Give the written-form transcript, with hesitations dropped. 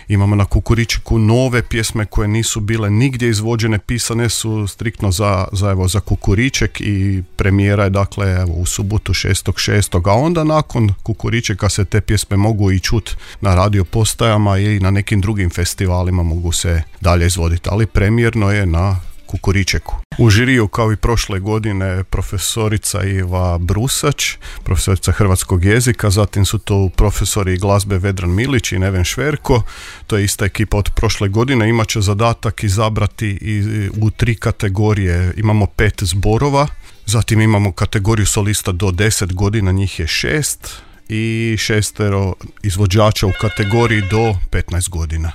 Imamo na Kukuričeku nove pjesme koje nisu bile nigdje izvođene, pisane su striktno za Kukuriček i premijera je dakle evo, u subotu 6.6. A onda nakon Kukuričeka se te pjesme mogu i čut na radio postajama i na nekim drugim festivalima mogu se dalje izvoditi, ali premijerno je na Kukuričeku. U žiriju kao i prošle godine profesorica Iva Brusač, profesorica hrvatskog jezika, zatim su to profesori glazbe Vedran Milić i Neven Šverko, to je ista ekipa od prošle godine, imat će zadatak izabrati u 3 kategorije, imamo 5 zborova, zatim imamo kategoriju solista do 10 godina, njih je 6 i 6 izvođača u kategoriji do 15 godina.